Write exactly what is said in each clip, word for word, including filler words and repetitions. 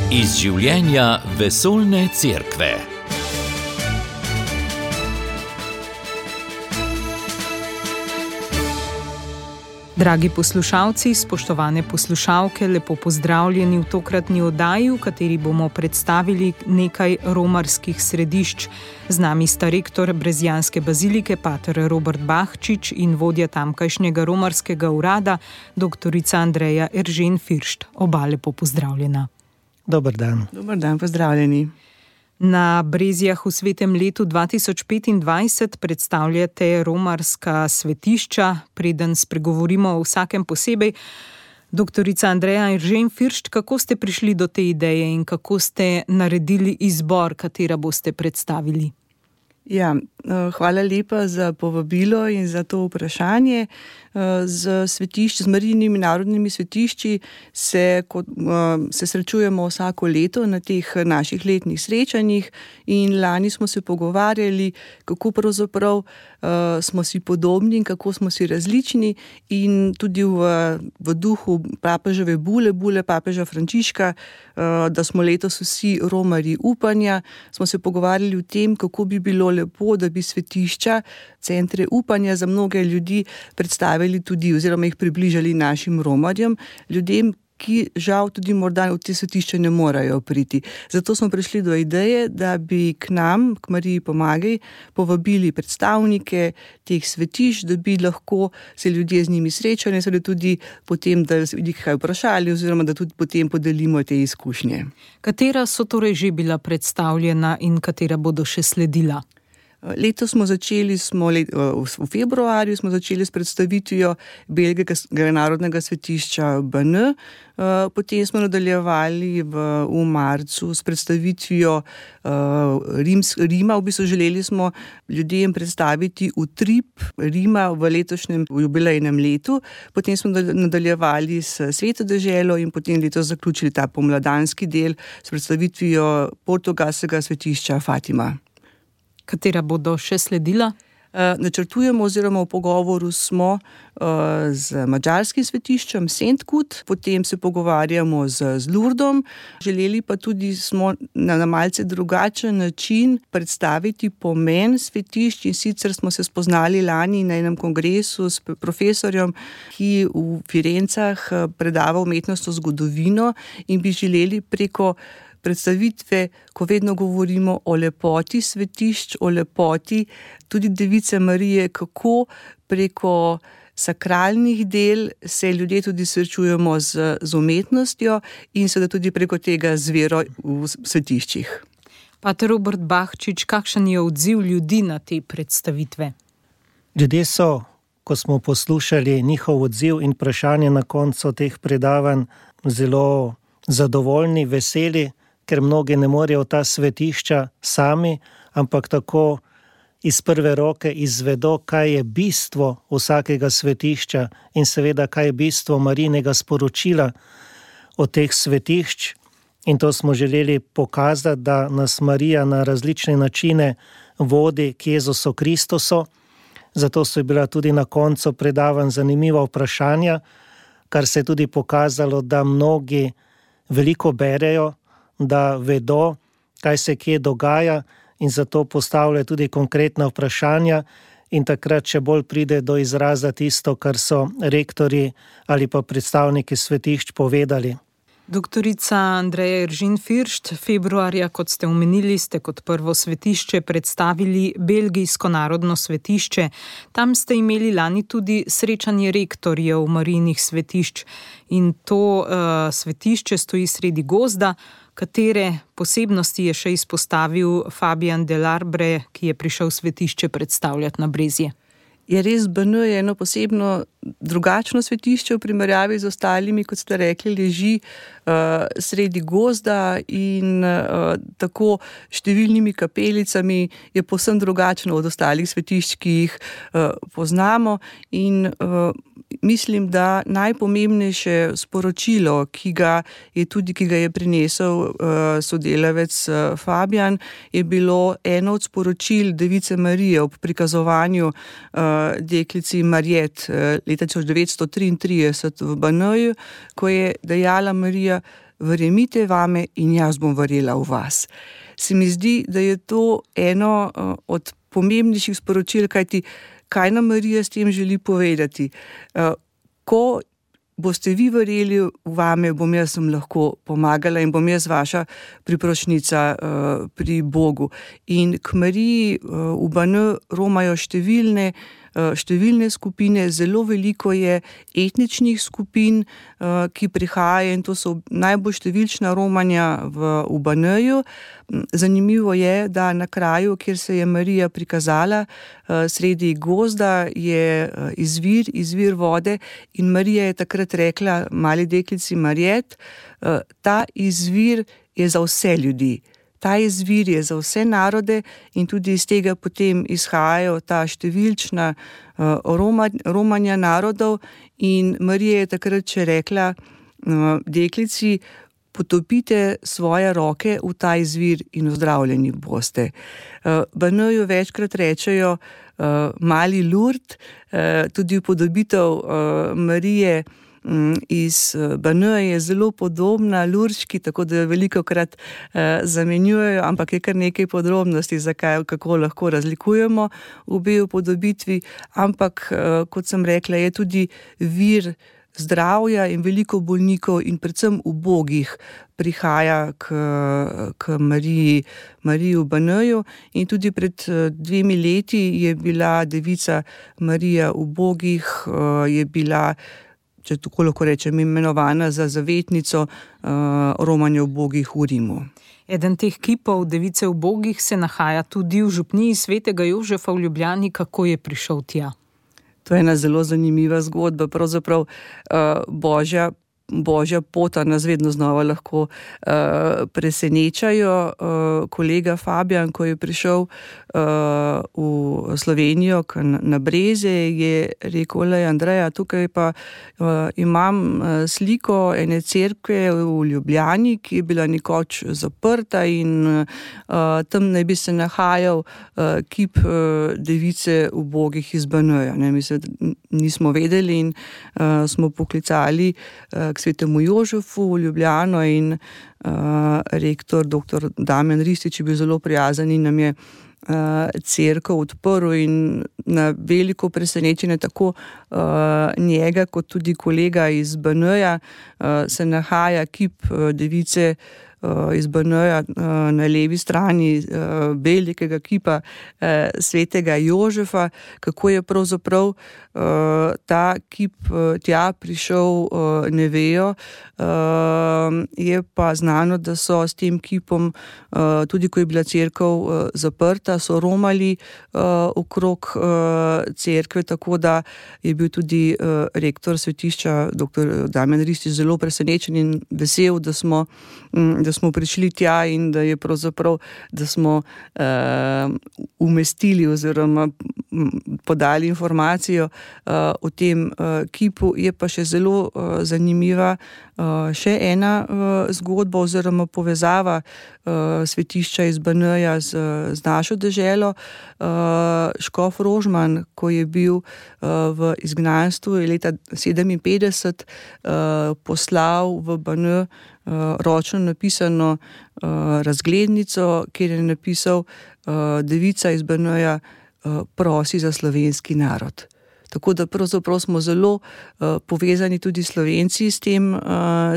Iz življenja vesoljne cerkve. Dragi poslušalci, spoštovane poslušalke, lepo pozdravljeni v tokratni oddaji, v kateri bomo predstavili nekaj romarskih središč. Z nami sta rektor Brezjanske bazilike, pater Robert Bahčič, in vodja tamkajšnjega romarskega urada, doktorica Andreja Eržen Firšt. Oba lepo pozdravljena. Dober dan. Dober dan, pozdravljeni. Na Brezjah v svetem letu dva tisoč petindvajset predstavljate romarska svetišča. Preden spregovorimo o vsakem posebej, doktorica Andreja Eržen Firšt, kako ste prišli do te ideje in kako ste naredili izbor, katera boste predstavili? Ja, hvala lepa za povabilo in za to vprašanje. Z svetišč, z Marijinimi narodnimi svetišči se, kot, se srečujemo vsako leto na teh naših letnih srečanjih in lani smo se pogovarjali, kako pravzaprav smo si podobni in kako smo si različni, in tudi v, v duhu papeževe bule, bule papeža Frančiška, da smo letos vsi romarji upanja, smo se pogovarjali o tem, kako bi bilo lepo, da bi svetišča, centre upanja za mnoge ljudi predstavili tudi oziroma jih približali našim romarjem, ljudem, ki žal tudi morda v te svetišče ne morajo priti. Zato smo prišli do ideje, da bi k nam, k Mariji Pomagaj, povabili predstavnike teh svetišč, da bi lahko se ljudje z njimi srečali, seveda tudi potem, da jih kaj vprašali oziroma da tudi potem podelimo te izkušnje. Katera so torej že bila predstavljena in katera bodo še sledila? Letos smo začeli, smo let, v februarju smo začeli s predstavitvijo Belgijskega narodnega svetišča B N, potem smo nadaljevali v, v marcu s predstavitvijo Rims, Rima, v bistvu želeli smo ljudem predstaviti utrip Rima v letošnjem jubilejnem letu, potem smo nadaljevali s Sveto deželo in potem letos zaključili ta pomladanski del s predstavitvijo portugalskega svetišča Fatima. Katera bodo še sledila? Načrtujemo oziroma v pogovoru smo z madžarskim svetiščem Szentkud, potem se pogovarjamo z, z Lurdom. Želeli pa tudi smo na, na malce drugačen način predstaviti pomen svetišč, in sicer smo se spoznali lani na enem kongresu s profesorjem, ki v Firencah predava umetnostno zgodovino, in bi želeli preko predstavitve, ko vedno govorimo o lepoti svetišč, o lepoti tudi Device Marije, kako preko sakralnih del se ljudje tudi srečujemo z, z umetnostjo in seveda tudi preko tega z vero v svetiščih. Pater Robert Bahčič, kakšen je odziv ljudi na te predstavitve? Ljudje so, ko smo poslušali njihov odziv in vprašanje na koncu teh predavanj, zelo zadovoljni, veseli, ker mnogi ne morejo ta svetišča sami, ampak tako iz prve roke izvedo, kaj je bistvo vsakega svetišča in seveda, kaj je bistvo Marijinega sporočila od teh svetišč. In to smo želeli pokazati, da nas Marija na različne načine vodi k Jezusu Kristusu. Zato so bila tudi na koncu predavanj zanimiva vprašanja, kar se je tudi pokazalo, da mnogi veliko berejo, da vedo, kaj se kje dogaja, in zato postavljajo tudi konkretna vprašanja, in takrat še bolj pride do izraza tisto, kar so rektorji ali pa predstavniki svetišč povedali. Doktorica Andreja Eržen Firšt, februarja, kot ste omenili, ste kot prvo svetišče predstavili Belgijsko narodno svetišče. Tam ste imeli lani tudi srečanje rektorjev Marijinih svetišč, in to uh, svetišče stoji sredi gozda. Katere posebnosti je še izpostavil Fabian Delarbre, ki je prišel svetišče predstavljati na Brezje? Je res, B N je eno posebno drugačno svetišče v primerjavi z ostalimi, kot ste rekli, leži uh, sredi gozda in uh, tako številnimi kapelicami je povsem drugačno od ostalih svetišč, ki jih uh, poznamo, in uh, mislim, da najpomembnejše sporočilo, ki ga je tudi, ki ga je prinesel uh, sodelavec uh, Fabian, je bilo eno od sporočil Device Marije ob prikazovanju uh, deklici Marjet uh, leta tisoč devetsto triintrideset v Banoju, ko je dejala Marija: verjemite vame in jaz bom verjela v vas. Se mi zdi, da je to eno uh, od pomembnejših sporočil, kajti kaj nam Marija s tem želi povedati. Uh, ko boste vi verjeli v vame, bom jaz vam lahko pomagala in bom jaz vaša priprošnica uh, pri Bogu. In k Mariji uh, v B N romajo številne številne skupine, zelo veliko je etničnih skupin, ki prihajajo, in to so najbolj številčna romanja v, v B N-ju. Zanimivo je, da na kraju, kjer se je Marija prikazala, sredi gozda, je izvir, izvir vode, in Marija je takrat rekla mali deklici Marjet, ta izvir je za vse ljudi. Ta izvir je za vse narode in tudi iz tega potem izhajajo ta številčna uh, roma, romanja narodov, in Marija je takrat še rekla uh, deklici, potopite svoje roke v ta izvir in ozdravljeni boste. Uh, B N-ju večkrat rečejo uh, mali Lurd, uh, tudi upodobitev uh, Marije iz B N je zelo podobna Lurški, tako da velikokrat eh, zamenjujejo, ampak je kar nekaj podrobnosti, zakaj, kako lahko razlikujemo obe upodobitvi, ampak eh, kot sem rekla, je tudi vir zdravja in veliko bolnikov in predvsem ubogih prihaja k, k Mariji, Mariji v B N-ju, in tudi pred dvemi leti je bila devica Marija ubogih, eh, je bila, če tako lahko rečem, imenovana za zavetnico uh, romanja ubogih v Rimu. Eden teh kipov device ubogih se nahaja tudi v župniji svetega Jožefa v Ljubljani. Kako je prišel tja? To je ena zelo zanimiva zgodba. Pravzaprav uh, Božja Božja pota nas vedno znova lahko uh, presenečajo. Uh, kolega Fabijan, ko je prišel uh, v Slovenijo na Breze, je rekel, le Andreja, tukaj pa uh, imam uh, sliko ene cerkve v Ljubljani, ki je bila nekoč zaprta, in uh, tam naj bi se nahajal uh, kip uh, device ubogih iz B N-ja. Mi se nismo vedeli in uh, smo poklicali uh, k svetemu Jožefu v Ljubljano, in uh, rektor doktor Damjan Ristič je bil zelo prijazen in nam je uh, cerkev odprl, in na veliko presenečenje tako uh, njega kot tudi kolega iz B N-ja uh, se nahaja kip uh, device uh, iz B N-ja uh, na levi strani uh, velikega kipa uh, svetega Jožefa. Kako je pravzaprav Uh, ta kip uh, tja prišel, uh, ne vejo. Uh, je pa znano, da so s tem kipom, uh, tudi ko je bila cerkev uh, zaprta, so romali uh, okrog uh, cerkve, tako da je bil tudi uh, rektor svetišča, doktor Damjan Ristič, zelo presenečen in vesel, da smo, um, da smo prišli tja in da je pravzaprav, da smo uh, umestili oziroma podali informacijo Uh, o tem uh, kipu. Je pa še zelo uh, zanimiva uh, še ena uh, zgodba oziroma povezava uh, svetišča iz B N-ja z, z našo deželo. Uh, škof Rožman, ko je bil uh, v izgnanstvu, je leta sedeminpetdeset uh, poslal v B N uh, ročno napisano uh, razglednico, kjer je napisal uh, devica iz B N-ja uh, prosi za slovenski narod. Tako da pravzaprav smo zelo uh, povezani tudi Slovenci s tem uh,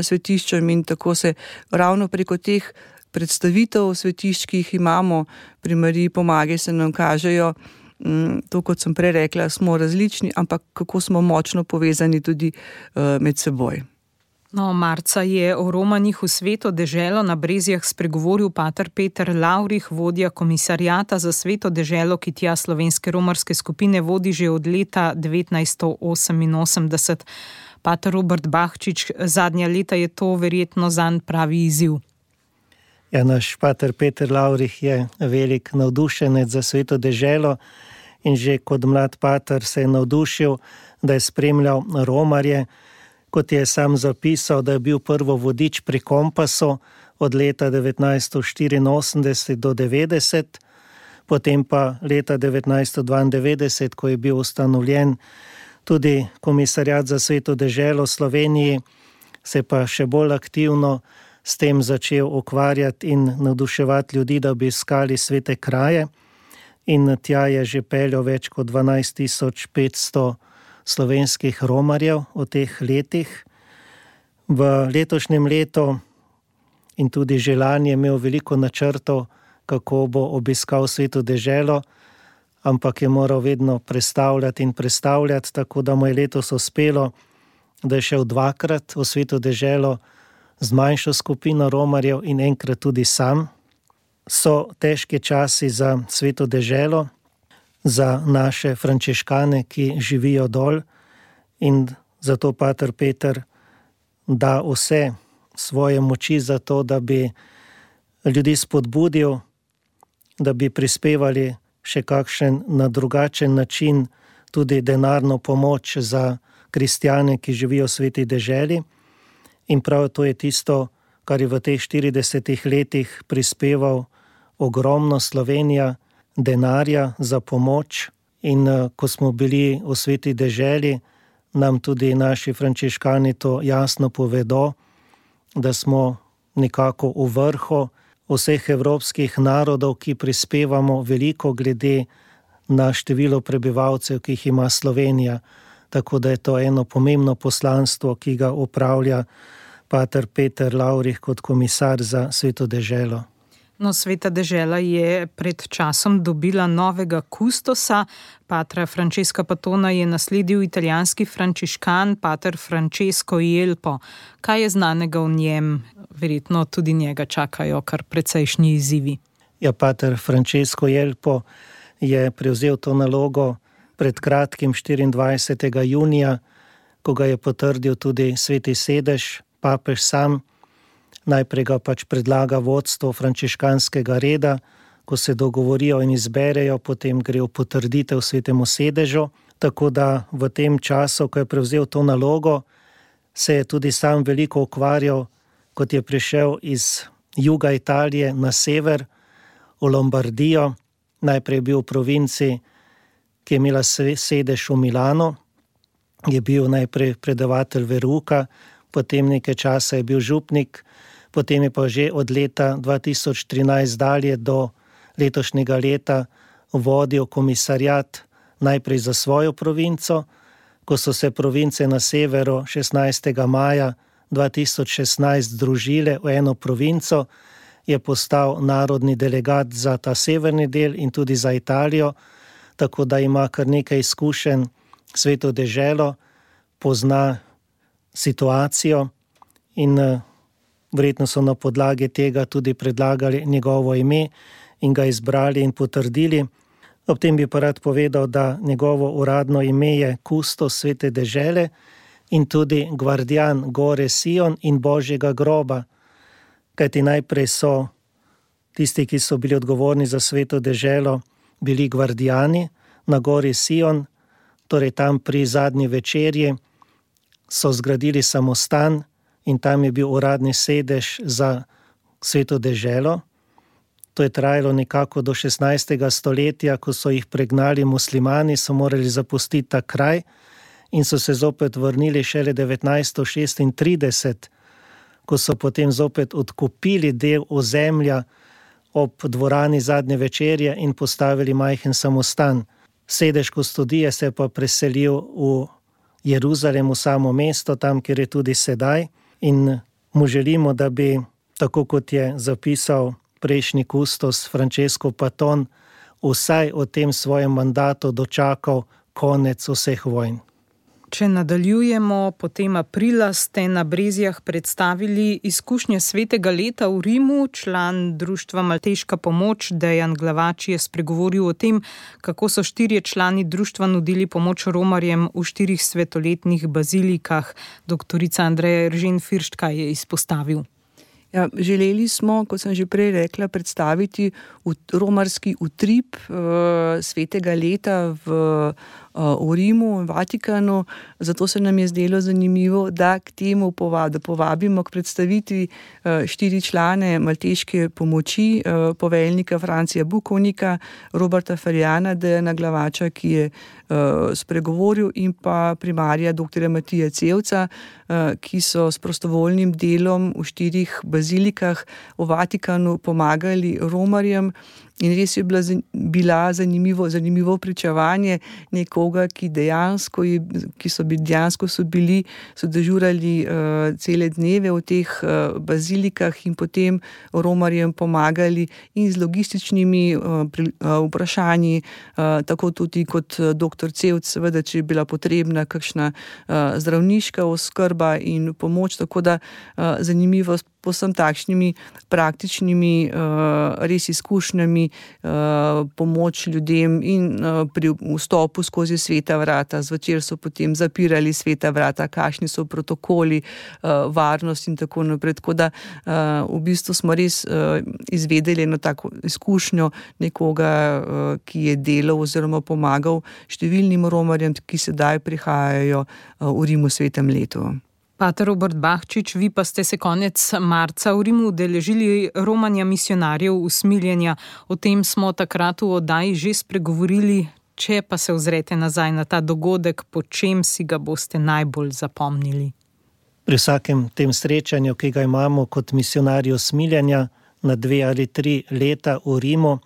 svetiščem, in tako se ravno preko teh predstavitev svetišč, ki jih imamo pri Mariji Pomagaj, se nam kažejo, um, to kot sem prej rekla, smo različni, ampak kako smo močno povezani tudi uh, med seboj. No, marca je o romanjih v Sveto deželo na Brezjah spregovoril pater Peter Lavrih, vodja komisarjata za Sveto deželo, ki tja slovenske romarske skupine vodi že od leta devetnajststo oseminosemdeset. Pater Robert Bahčič, zadnja leta je to verjetno zanj pravi izziv. Ja, naš pater Peter Lavrih je velik navdušenec za Sveto deželo in že kot mlad pater se je navdušil, da je spremljal romarje. Kot je sam zapisal, da je bil prvo vodič pri kompasu od leta devetnajststo štiriinosemdeset do devetdeset, potem pa leta devetnajststo dvaindevetdeset, ko je bil ustanovljen tudi komisarjat za Sveto deželo v Sloveniji, se pa še bolj aktivno s tem začel ukvarjati in navduševati ljudi, da bi iskali svete kraje. In tja je že peljal več kot dvanajst tisoč petsto slovenskih romarjev v teh letih. V letošnjem letu in tudi že lani je imel veliko načrtov, kako bo obiskal Sveto deželo, ampak je moral vedno prestavljati in prestavljati, tako da mu je letos uspelo, da je šel dvakrat v Sveto deželo z manjšo skupino romarjev in enkrat tudi sam. So težki časi za Sveto deželo, za naše frančiškane, ki živijo dol, in zato pater Peter da vse svoje moči za to, da bi ljudi spodbudil, da bi prispevali še kakšen na drugačen način tudi denarno pomoč za kristjane, ki živijo v Sveti deželi. In prav to je tisto, kar je v teh štiridesetih letih prispeval ogromno Slovenija denarja za pomoč. In ko smo bili v Sveti deželi, nam tudi naši frančiškani to jasno povedo, da smo nekako v vrhu vseh evropskih narodov, ki prispevamo veliko glede na število prebivalcev, ki jih ima Slovenija. Tako da je to eno pomembno poslanstvo, ki ga opravlja pater Peter Lavrih kot komisar za Sveto deželo. No, Sveta dežela je pred časom dobila novega kustosa. Patra Francesca Patona je nasledil italijanski frančiškan pater Francesco Jelpo. Kaj je znanega v njem? Verjetno tudi njega čakajo kar precejšnji izzivi. Ja, pater Francesco Jelpo je prevzel to nalogo pred kratkim štiriindvajsetega junija, ko ga je potrdil tudi Sveti sedež, papež sam. Najprej ga pač predlaga vodstvo frančiškanskega reda, ko se dogovorijo in izberejo, potem gre v potrditev Svetemu sedežu. Tako da v tem času, ko je prevzel to nalogo, se je tudi sam veliko ukvarjal, kot je prišel iz juga Italije na sever, v Lombardijo. Najprej je bil v provinci, ki je imela sedež v Milanu, je bil najprej predavatelj verouka, potem nekaj časa je bil župnik, potem je pa že od leta dva tisoč trinajst dalje do letošnjega leta vodil komisarjat najprej za svojo provinco. Ko so se province na severu šestnajstega maja dva tisoč šestnajst združile v eno provinco, je postal narodni delegat za ta severni del in tudi za Italijo, tako da ima kar nekaj izkušenj Sveto deželo, pozna situacijo in verjetno so na podlagi tega tudi predlagali njegovo ime in ga izbrali in potrdili. Ob tem bi pa rad povedal, da njegovo uradno ime je kustos Svete dežele in tudi gvardijan gore Sion in Božjega groba. Kajti najprej so tisti, ki so bili odgovorni za Sveto deželo, bili gvardijani na gori Sion, torej tam pri zadnji večerji so zgradili samostan in tam je bil uradni sedež za Sveto deželo. To je trajalo nekako do šestnajstega stoletja, ko so jih pregnali muslimani, so morali zapustiti ta kraj in so se zopet vrnili šele devetnajststo šestintrideset, ko so potem zopet odkupili del ozemlja ob dvorani zadnje večerje in postavili majhen samostan. Sedež kustodije se je pa preselil v Jeruzalem, v samo mesto, tam, kjer je tudi sedaj. In mu želimo, da bi, tako kot je zapisal prejšnji kustos Francesco Paton, vsaj v tem svojem mandatu dočakal konec vseh vojn. Če nadaljujemo, potem aprila ste na Brezjah predstavili izkušnje svetega leta v Rimu. Član društva Malteška pomoč Dejan Glavač je spregovoril o tem, kako so štirje člani društva nudili pomoč romarjem v štirih svetoletnih bazilikah. Doktorica Andreja Eržen Firšt, kaj je izpostavil? Ja, želeli smo, kot sem že prej rekla, predstaviti romarski utrip uh, svetega leta v v Rimu in Vatikanu, zato se nam je zdelo zanimivo, da k temu povabimo, da povabimo k predstavitvi štiri člane malteške pomoči, poveljnika Francija Bukovnika, Roberta Ferjana, Dejana Glavača, ki je spregovoril, in pa primarja doktorja Matija Cevca, ki so s prostovoljnim delom v štirih bazilikah v Vatikanu pomagali romarjem. In res je bila, bila zanimivo, zanimivo pričevanje nekoga, ki dejansko, ki so bili, dejansko so bili, so dežurali uh, cele dneve v teh uh, bazilikah in potem romarjem pomagali in z logističnimi uh, pri, uh, vprašanji, uh, tako tudi kot doktor Cevc, seveda, če je bila potrebna kakšna uh, zdravniška oskrba in pomoč, tako da uh, zanimivo povsem takšnimi praktičnimi uh, res izkušnjami, uh, pomoč ljudem in uh, pri vstopu skozi sveta vrata. Zvečer so potem zapirali sveta vrata, kakšni so protokoli, uh, varnost in tako naprej. Tako da uh, v bistvu smo res uh, izvedeli eno tako izkušnjo nekoga, uh, ki je delal oziroma pomagal številnim romarjem, ki sedaj prihajajo uh, v Rimu v svetem letu. Pater Robert Bahčič, vi pa ste se konec marca v Rimu udeležili romanja misionarjev usmiljenja. O tem smo takrat v oddaji že spregovorili. Če pa se ozrete nazaj na ta dogodek, po čem si ga boste najbolj zapomnili? Pri vsakem tem srečanju, ki ga imamo kot misionarji usmiljenja na dve ali tri leta v Rimu,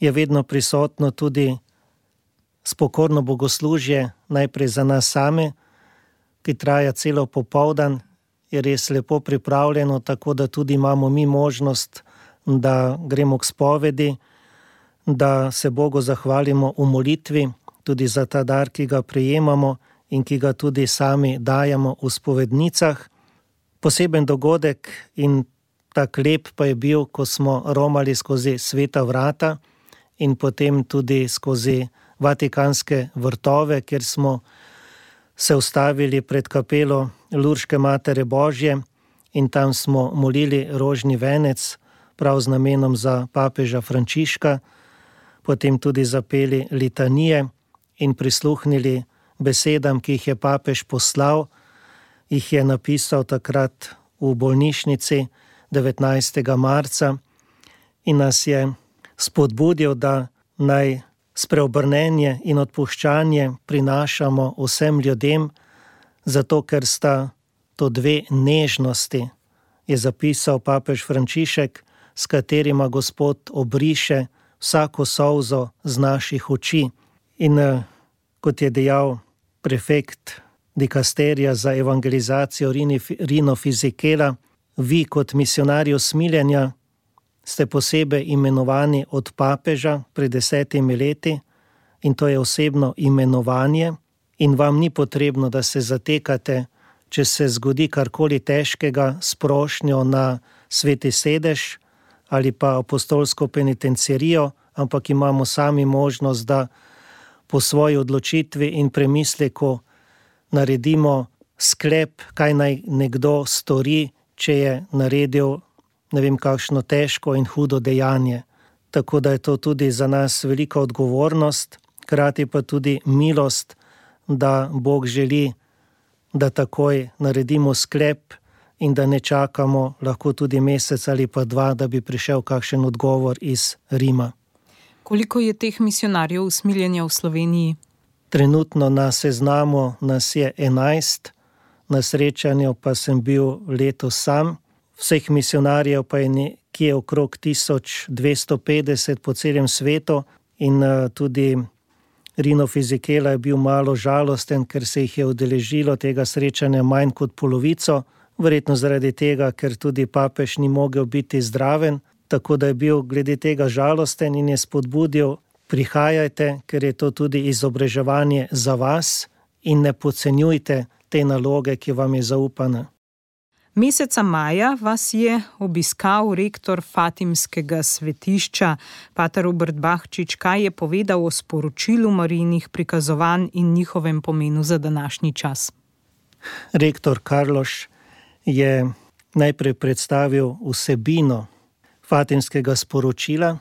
je vedno prisotno tudi spokorno bogoslužje, najprej za nas same, ki traja celo popoldan, je res lepo pripravljeno, tako da tudi imamo mi možnost, da gremo k spovedi, da se Bogu zahvalimo v molitvi, tudi za ta dar, ki ga prejemamo in ki ga tudi sami dajemo v spovednicah. Poseben dogodek in tak lep pa je bil, ko smo romali skozi sveta vrata in potem tudi skozi vatikanske vrtove, kjer smo se ustavili pred kapelo Lurške Matere Božje in tam smo molili rožni venec, prav z namenom za papeža Frančiška, potem tudi zapeli litanije in prisluhnili besedam, ki jih je papež poslal, jih je napisal takrat v bolnišnici devetnajstega marca in nas je spodbudil, da naj spreobrnenje in odpuščanje prinašamo vsem ljudem, zato ker sta to dve nežnosti, je zapisal papež Frančišek, s katerima Gospod obriše vsako solzo z naših oči. In kot je dejal prefekt dikasterija za evangelizacijo Rino Fisichella, vi kot misionarji usmiljenja ste posebej imenovani od papeža pred desetimi leti in to je osebno imenovanje in vam ni potrebno, da se zatekate, če se zgodi karkoli težkega s prošnjo na sveti sedež ali pa apostolsko penitenciarijo, ampak imamo sami možnost, da po svoji odločitvi in premisleku naredimo sklep, kaj naj nekdo stori, če je naredil ne vem kakšno težko in hudo dejanje. Tako da je to tudi za nas velika odgovornost, hkrati pa tudi milost, da Bog želi, da takoj naredimo sklep in da ne čakamo lahko tudi mesec ali pa dva, da bi prišel kakšen odgovor iz Rima. Koliko je teh misionarjev usmiljenja v Sloveniji? Trenutno na seznamu nas je enajst, na srečanju pa sem bil letos sam. Vseh misionarjev pa je nekje okrog tisoč dvesto petdeset po celem svetu in tudi Rino Fisichella je bil malo žalosten, ker se jih je udeležilo tega srečanja manj kot polovico, verjetno zaradi tega, ker tudi papež ni mogel biti zdraven, tako da je bil glede tega žalosten in je spodbudil, prihajajte, ker je to tudi izobraževanje za vas in ne podcenjujte te naloge, ki vam je zaupana. Meseca maja vas je obiskal rektor Fatimskega svetišča, pater Robert Bahčič. Kaj je povedal o sporočilu Marijinih prikazovanj in njihovem pomenu za današnji čas? Rektor Karloš je najprej predstavil vsebino Fatimskega sporočila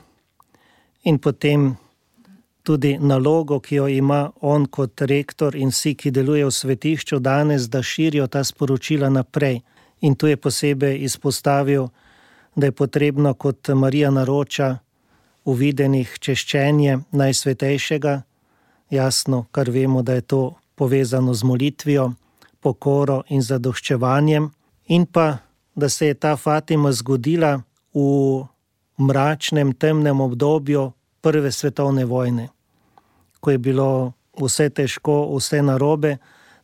in potem tudi nalogo, ki jo ima on kot rektor in vsi, ki delujejo v svetišču danes, da širijo ta sporočila naprej. In tu je posebej izpostavil, da je potrebno, kot Marija naroča, v videnih češčenje Najsvetejšega, jasno, kar vemo, da je to povezano z molitvijo, pokoro in zadoščevanjem, in pa, da se je ta Fatima zgodila v mračnem, temnem obdobju prve svetovne vojne. Ko je bilo vse težko, vse narobe,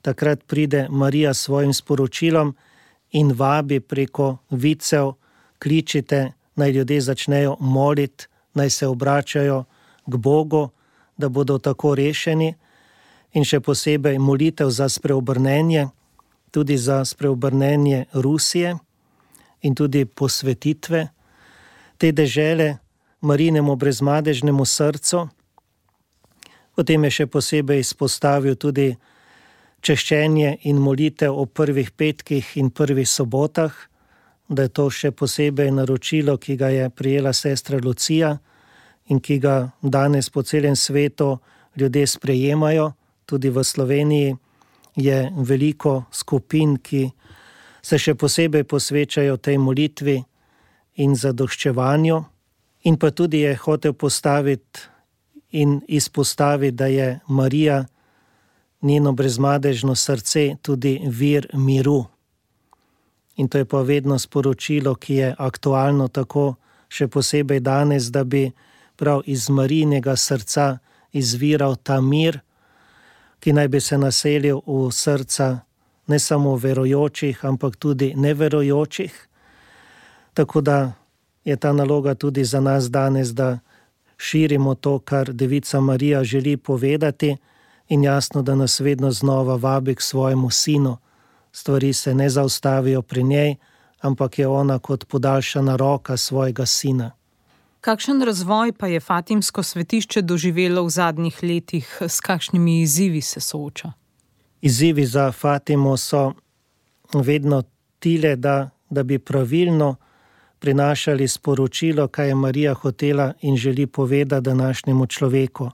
takrat pride Marija s svojim sporočilom in vabi preko vicev, kličite, naj ljudje začnejo moliti, naj se obračajo k Bogu, da bodo tako rešeni, in še posebej molitev za spreobrnenje, tudi za spreobrnenje Rusije in tudi posvetitve te dežele Marijinemu brezmadežnemu srcu. Potem je še posebej izpostavil tudi češčenje in molitev o prvih petkih in prvih sobotah, da je to še posebej naročilo, ki ga je prijela sestra Lucija in ki ga danes po celem svetu ljudje sprejemajo. Tudi v Sloveniji je veliko skupin, ki se še posebej posvečajo tej molitvi in zadoščevanju. In pa tudi je hotel postaviti in izpostaviti, da je Marija, njeno brezmadežno srce, tudi vir miru. In to je pa vedno sporočilo, ki je aktualno tako še posebej danes, da bi prav iz Marijinega srca izviral ta mir, ki naj bi se naselil v srca ne samo verujočih, ampak tudi neverujočih. Tako da je ta naloga tudi za nas danes, da širimo to, kar Devica Marija želi povedati, in jasno, da nas vedno znova vabi k svojemu sinu. Stvari se ne zaustavijo pri njej, ampak je ona kot podaljšana roka svojega sina. Kakšen razvoj pa je Fatimsko svetišče doživelo v zadnjih letih, s kakšnimi izzivi se sooča? Izzivi za Fatimo so vedno tile, da, da bi pravilno prinašali sporočilo, kaj je Marija hotela in želi povedati današnjemu človeku.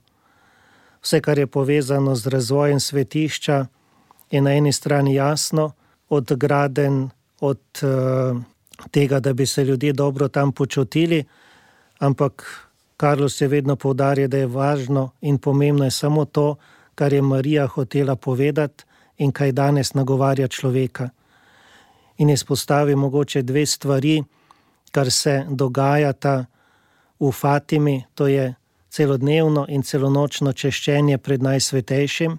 Vse, kar je povezano z razvojem svetišča, je na eni strani jasno, od gradenj, od uh, tega, da bi se ljudje dobro tam počutili, ampak Carlos je vedno poudaril, da je važno in pomembno je samo to, kar je Marija hotela povedati in kaj danes nagovarja človeka. In izpostavi mogoče dve stvari, kar se dogajata v Fatimi, to je celodnevno in celonočno češčenje pred Najsvetejšim,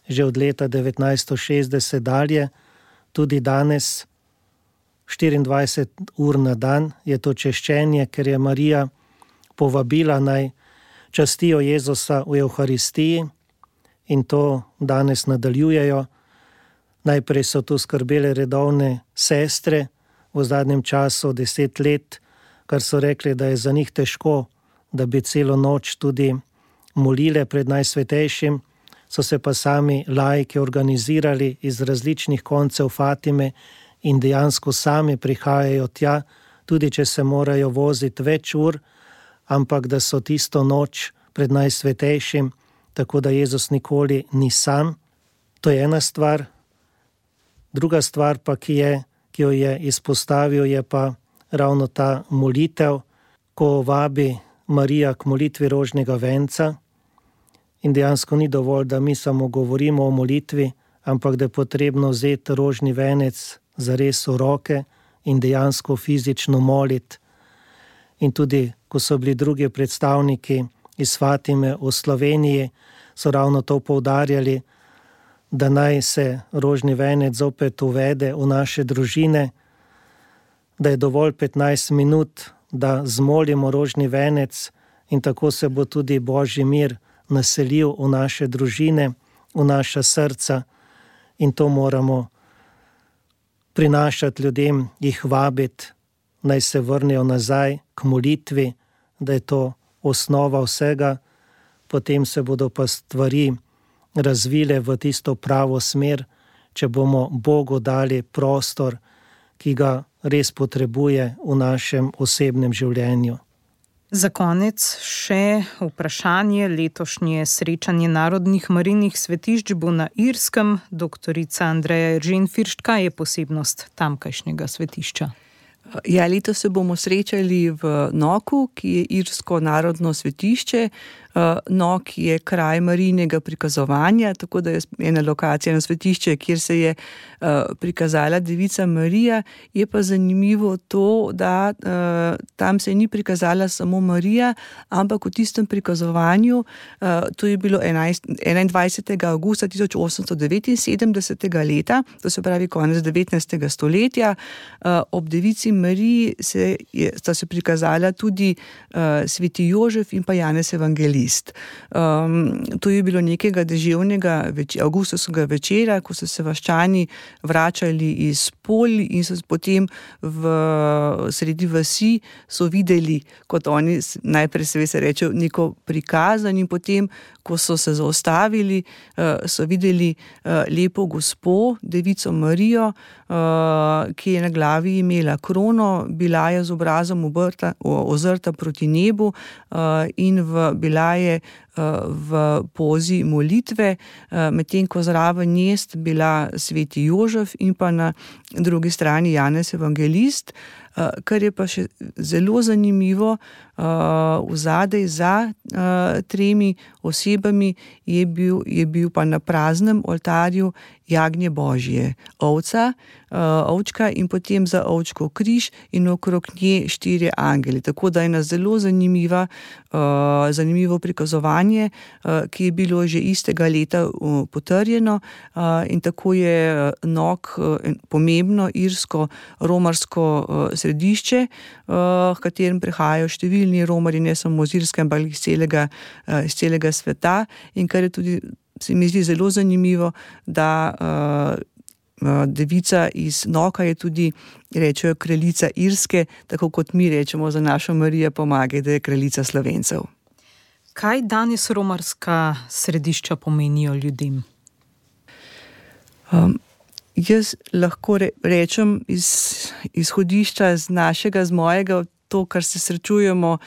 že od leta devetnajststo šestdeset dalje, tudi danes, štiriindvajset ur na dan je to češčenje, ker je Marija povabila naj častijo Jezusa v Evharistiji, in to danes nadaljujejo. Najprej so tu skrbele redovne sestre, v zadnjem času deset let, kar so rekli, da je za njih težko, da bi celo noč tudi molile pred Najsvetejšim, so se pa sami laiki organizirali iz različnih koncev Fatime in dejansko sami prihajajo tja, tudi če se morajo voziti več ur, ampak da so tisto noč pred Najsvetejšim, tako da Jezus nikoli ni sam. To je ena stvar. Druga stvar pa, ki je, ki jo je izpostavil, je pa ravno ta molitev, ko vabi Marija k molitvi rožnega venca. In dejansko ni dovolj, da mi samo govorimo o molitvi, ampak da je potrebno vzeti rožni venec zares v roke in dejansko fizično moliti. In tudi, ko so bili drugi predstavniki iz Fatime v Sloveniji, so ravno to poudarjali, da naj se rožni venec zopet uvede v naše družine, da je dovolj petnajst minut, da zmolimo rožni venec in tako se bo tudi Božji mir naselil v naše družine, v naša srca, in to moramo prinašati ljudem, jih vabiti, naj se vrnejo nazaj k molitvi, da je to osnova vsega, potem se bodo pa stvari razvile v tisto pravo smer, če bomo Bogu dali prostor, ki ga res potrebuje v našem osebnem življenju. Za konec še vprašanje. Letošnje srečanje narodnih marijnih svetišč bo na Irskem. Doktorica Andreja Eržen Firšt, kaj je posebnost tamkajšnjega svetišča? Ja, letos se bomo srečali v Knockhu, ki je irsko narodno svetišče. Knock je kraj marijinega prikazovanja, tako da je ena lokacija na svetišče, kjer se je prikazala Devica Marija. Je pa zanimivo to, da tam se ni prikazala samo Marija, ampak v tistem prikazovanju, to je bilo enaindvajsetega avgusta tisoč osemsto devetinsedemdesetega leta, to se pravi konec devetnajstega stoletja, ob Devici Mariji se je, sta se prikazala tudi sveti Jožef in pa Janez Evangelist. Um, to je bilo nekega deževnega več, avgustovskega večera, ko so se vaščani vračali iz polj in so potem v sredi vasi so videli, kot oni najprej se, se reče, neko prikazan, in potem, ko so se zaustavili, so videli lepo gospo, Devico Marijo, ki je na glavi imela krono, bila je z obrazom obrta, ozrta proti nebu in v, bila je v pozi molitve, medtem ko zraven nje sta bila sveti Jožef in pa na drugi strani Janez Evangelist. Kar je pa še zelo zanimivo, vzadej za tremi osebami je bil, je bil pa na praznem oltarju jagnje Božje, ovca, ovčka in potem za ovčko križ in okrog nje štirje angeli. Tako da je ena zelo zanimiva, zanimivo prikazovanje, ki je bilo že istega leta potrjeno, in tako je Knock pomembno irsko romarsko središče, v katerem prihajajo številni romarji, ne samo iz Irske, ampak iz celega, iz celega sveta, in kar je tudi, se mi zdi zelo zanimivo, da uh, devica iz Knocka je tudi, rečejo, kraljica Irske, tako kot mi rečemo za našo Marijo Pomagaj, da je kraljica Slovencev. Kaj danes romarska središča pomenijo ljudem? Um, Jaz lahko re, rečem iz izhodišča z našega, z mojega, to, kar se srečujemo uh,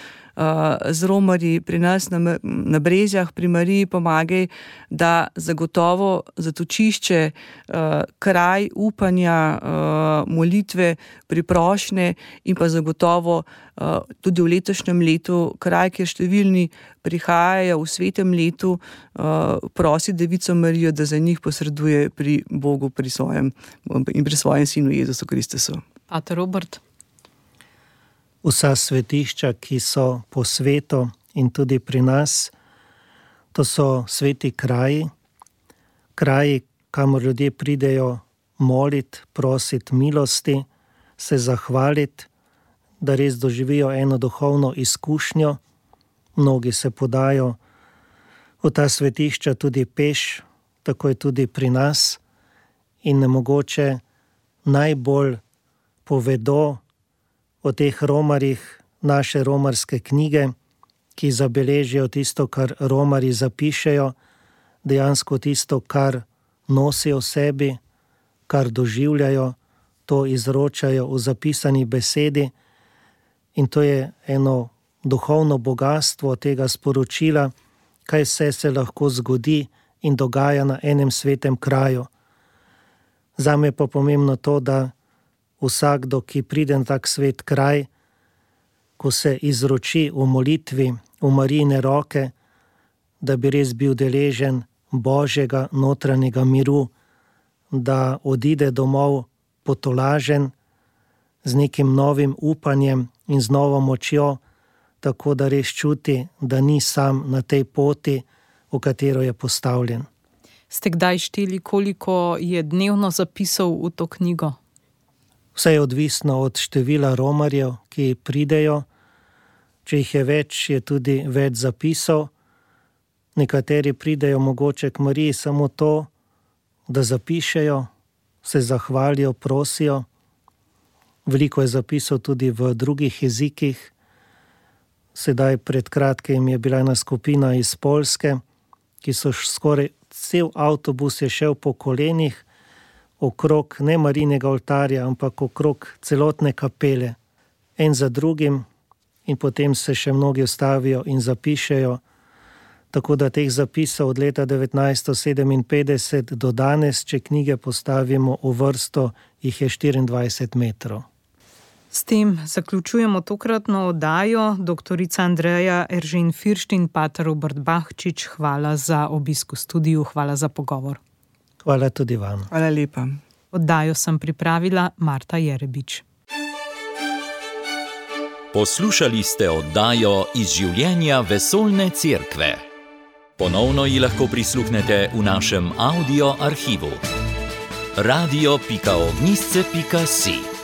z romarji pri nas na, na Brezjah, pri Mariji Pomagaj, da zagotovo zatočišče, uh, kraj upanja, uh, molitve, priprošnje in pa zagotovo uh, tudi v letošnjem letu kraj, kjer številni prihajajo v svetem letu, uh, prosi Devico Marijo, da za njih posreduje pri Bogu, pri svojem in pri svojem sinu Jezusu Kristusu. Pater Robert? Vsa svetišča, ki so po svetu in tudi pri nas, to so sveti kraji, kraji, kamor ljudje pridejo moliti, prositi milosti, se zahvaliti, da res doživijo eno duhovno izkušnjo. Mnogi se podajo v ta svetišča tudi peš, tako je tudi pri nas, in nemogoče najbolj povedo o teh romarjih naše romarske knjige, ki zabeležijo tisto, kar romarji zapišejo, dejansko tisto, kar nosijo v sebi, kar doživljajo, to izročajo v zapisani besedi, in to je eno duhovno bogatstvo tega sporočila, kaj vse se lahko zgodi in dogaja na enem svetem kraju. Zame pa pomembno to, da vsakdo, ki pride na tak svet kraj, ko se izroči v molitvi, v Marijine roke, da bi res bil deležen Božjega notranjega miru, da odide domov potolažen z nekim novim upanjem in z novo močjo, tako da res čuti, da ni sam na tej poti, v katero je postavljen. Ste kdaj šteli, koliko je dnevno zapisov v to knjigo? Vse je odvisno od števila romarjev, ki pridejo. Če jih je več, je tudi več zapisov. Nekateri pridejo mogoče k Mariji samo to, da zapišejo, se zahvalijo, prosijo. Veliko je zapisov tudi v drugih jezikih. Sedaj pred kratkim je bila ena skupina iz Poljske, ki so skoraj cel avtobus je šel po kolenih okrog ne Marijinega oltarja, ampak okrog celotne kapele. En za drugim in potem se še mnogi ustavijo in zapišejo. Tako da teh zapisov od leta devetnajststo sedeminpetdeset do danes, če knjige postavimo v vrsto, jih je štiriindvajset metrov. S tem zaključujemo tokratno oddajo. Doktorica Andreja Eržen Firšt in pater Robert Bahčič, hvala za obisk v studiu, hvala za pogovor. Hvala tudi vam. Hvala lepa. Oddajo sem pripravila Marta Jerebič. Poslušali ste oddajo Iz življenja vesoljne cerkve. Ponovno ji lahko prisluhnete v našem audio arhivu. radio pika ognjišče pika si